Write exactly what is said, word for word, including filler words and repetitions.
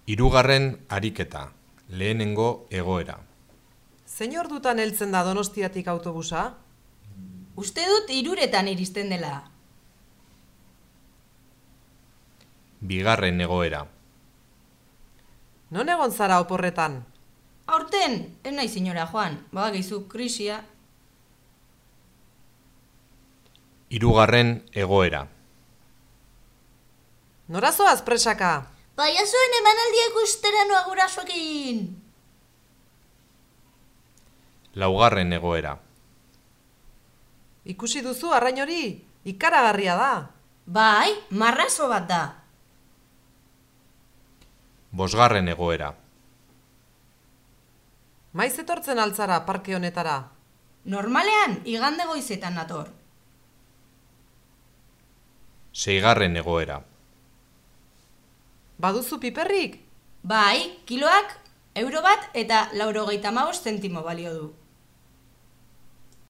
Hirugarren ariketa, lehenengo egoera. Zein ordutan heltzen da Donostiatik autobusa? Uste dut hiruretan iristen dela. Bigarren egoera. Non egon zara oporretan? Aurten, ez nahi senyora Juan, badakizu krisia. Hirugarren egoera. Nora zoaz presaka? Paiazoen emanaldia ikustera noa gurasoekin. Laugarren egoera. Ikusi duzu arrain hori? Ikaragarria da. Bai, marrazo bat da. Bosgarren egoera. Maiz etortzen altzara parke honetara? Normalean, igande goizetan nator. Seigarren egoera. Baduzu piperrik? Bai, kiloak euro bat eta laurogeita hamabost zentimo balio du.